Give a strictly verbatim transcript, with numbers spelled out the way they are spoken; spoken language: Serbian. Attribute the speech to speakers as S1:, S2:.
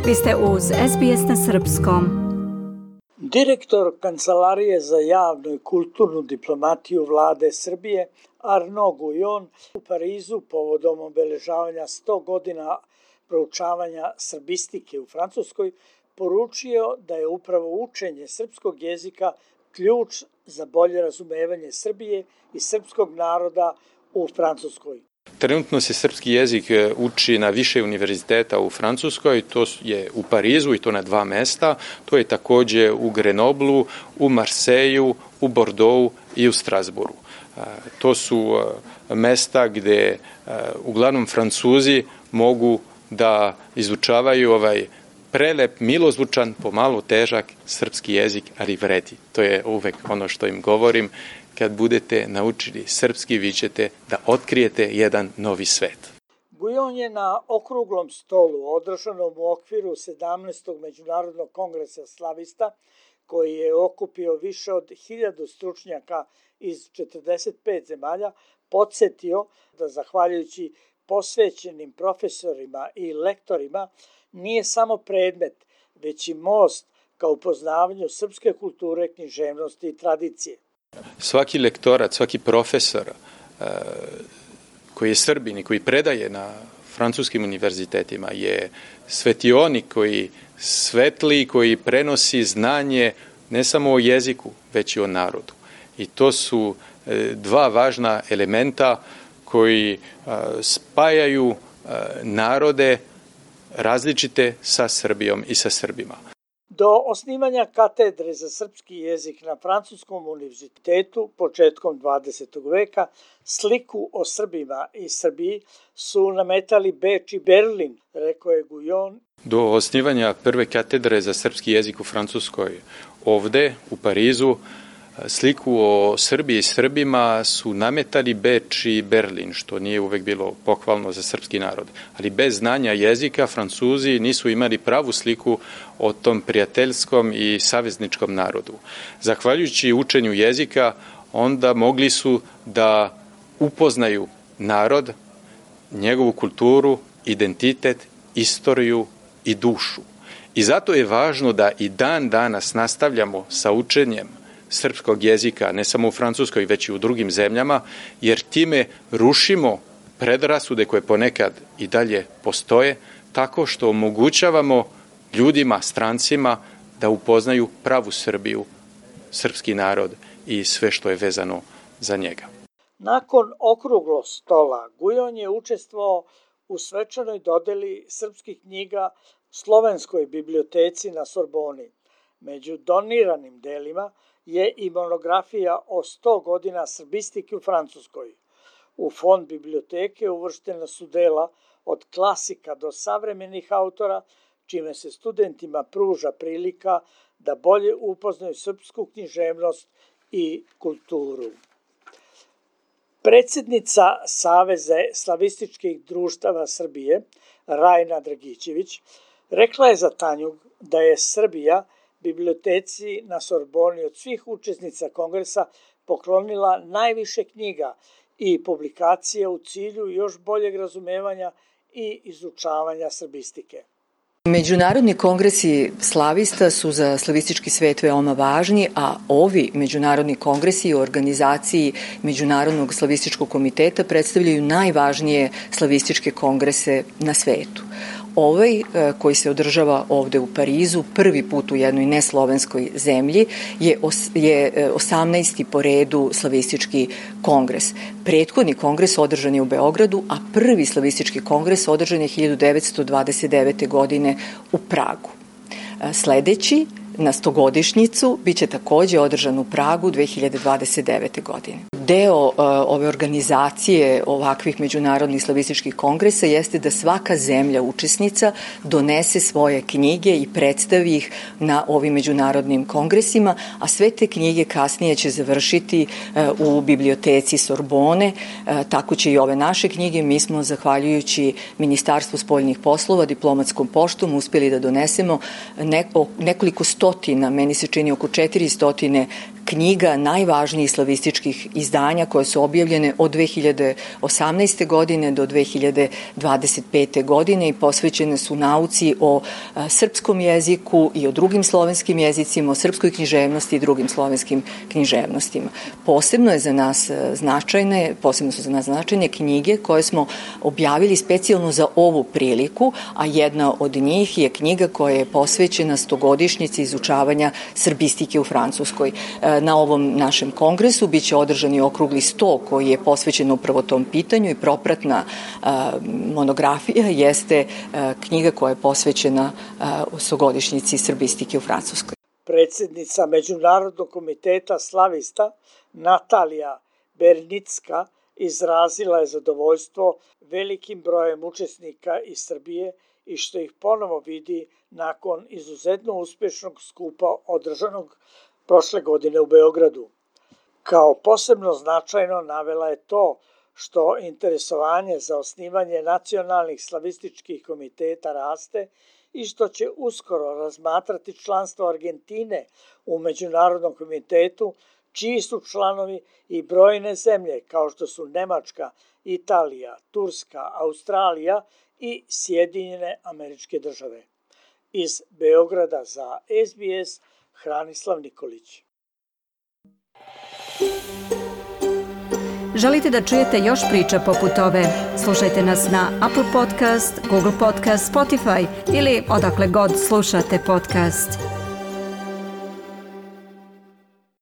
S1: Vi ste uz S B S na srpskom.
S2: Direktor Kancelarije za javnu i kulturnu diplomatiju vlade Srbije Arnaud Guillon u Parizu povodom obeležavanja sto godina proučavanja srbistike u Francuskoj poručio da je upravo učenje srpskog jezika ključ za bolje razumevanje Srbije i srpskog naroda u Francuskoj.
S3: Trenutno se srpski jezik uči na više univerziteta u Francuskoj, to je u Parizu i to na dva mesta, to je također u Grenoblu, u Marseju, u Bordeauxu i u Strasbourgu. To su mesta gdje uglavnom Francuzi mogu da izučavaju ovaj prelep, milozvučan, pomalo težak srpski jezik, ali vredi. To je uvek ono što im govorim. Kad budete naučili srpski, vi ćete da otkrijete jedan novi svet.
S2: Guillon je na okruglom stolu održanom u okviru sedamnaestog Međunarodnog kongresa slavista, koji je okupio više od hiljadu stručnjaka iz četrdeset pet zemalja, podsjetio da zahvaljujući posvećenim profesorima i lektorima nije samo predmet, već i most ka upoznavanju srpske kulture, književnosti i tradicije.
S3: Svaki lektorat, svaki profesor uh, koji je Srbin i koji predaje na francuskim univerzitetima je svetionik koji svetli, koji prenosi znanje ne samo o jeziku, već i o narodu. I to su uh, dva važna elementa koji uh, spajaju uh, narode različite sa Srbijom i sa Srbima.
S2: Do osnivanja katedre za srpski jezik na Francuskom univerzitetu početkom dvadesetog veka sliku o Srbima i Srbiji su nametali Beč i Berlin, rekao je Guillon.
S3: Do osnivanja prve katedre za srpski jezik u Francuskoj ovde u Parizu sliku o Srbiji i Srbima su nametali Beč i Berlin, što nije uvek bilo pohvalno za srpski narod. Ali bez znanja jezika Francuzi nisu imali pravu sliku o tom prijateljskom i savezničkom narodu. Zahvaljujući učenju jezika, onda mogli su da upoznaju narod, njegovu kulturu, identitet, istoriju i dušu. I zato je važno da i dan danas nastavljamo sa učenjem srpskog jezika, ne samo u Francuskoj, već i u drugim zemljama, jer time rušimo predrasude koje ponekad i dalje postoje, tako što omogućavamo ljudima, strancima, da upoznaju pravu Srbiju, srpski narod i sve što je vezano za njega.
S2: Nakon okruglog stola, Guillon je učestvovao u svečanoj dodeli srpskih knjiga Slovenskoj biblioteci na Sorboni. Među doniranim delima je i monografija o sto godina srbistike u Francuskoj. U fond biblioteke uvrštena su dela od klasika do savremenih autora, čime se studentima pruža prilika da bolje upoznaju srpsku književnost i kulturu. Predsjednica Saveza slavističkih društava Srbije, Rajna Dragićević, rekla je za Tanjug da je Srbija biblioteci na Sorboni od svih učesnica kongresa poklonila najviše knjiga i publikacija u cilju još boljeg razumevanja i izučavanja srbistike.
S4: Međunarodni kongresi slavista su za slavistički svet veoma važni, a ovi međunarodni kongresi u organizaciji Međunarodnog slavističkog komiteta predstavljaju najvažnije slavističke kongrese na svetu. Ovaj, koji se održava ovde u Parizu, prvi put u jednoj neslovenskoj zemlji, je, os, je osamnaesti po redu slavistički kongres. Prethodni kongres održan je u Beogradu, a prvi slavistički kongres održan je hiljadu devetsto dvadeset devete. godine u Pragu. Sledeći, na stogodišnjicu, bit će takođe održan u Pragu dve hiljade dvadeset devete. godine. Deo uh, ove organizacije ovakvih međunarodnih slavističkih kongresa jeste da svaka zemlja učesnica donese svoje knjige i predstavi ih na ovim međunarodnim kongresima, a sve te knjige kasnije će završiti uh, u biblioteci Sorbone, uh, tako će i ove naše knjige. Mi smo, zahvaljujući Ministarstvu spoljnih poslova, diplomatskom poštom, uspjeli da donesemo neko, nekoliko stotina, meni se čini oko četiri stotine knjiga najvažnijih slavističkih izdanja koje su objavljene od dve hiljade osamnaeste. godine do dve hiljade dvadeset pete. godine i posvećene su nauci o srpskom jeziku i o drugim slovenskim jezicima, o srpskoj književnosti i drugim slovenskim književnostima. Posebno je za nas značajne, posebno su za nas značajne knjige koje smo objavili specijalno za ovu priliku, a jedna od njih je knjiga koja je posvećena stogodišnjici izučavanja srbistike u Francuskoj. Na ovom našem kongresu biće održan i okrugli sto koji je posvećen upravo tom pitanju i propratna monografija jeste knjiga koja je posvećena stogodišnjici srbistike u Francuskoj.
S2: Predsjednica Međunarodnog komiteta slavista Natalija Bernicka izrazila je zadovoljstvo velikim brojem učesnika iz Srbije i što ih ponovo vidi nakon izuzetno uspješnog skupa održanog prošle godine u Beogradu. Kao posebno značajno navela je to što interesovanje za osnivanje nacionalnih slavističkih komiteta raste i što će uskoro razmatrati članstvo Argentine u Međunarodnom komitetu, čiji su članovi i brojne zemlje kao što su Nemačka, Italija, Turska, Australija i Sjedinjene Američke Države. Iz Beograda za S B S, Hranislav Nikolić.
S1: Želite da čujete još priča poput ove? Slušajte nas na Apple Podcast, Google Podcast, Spotify ili odakle god slušate podcast.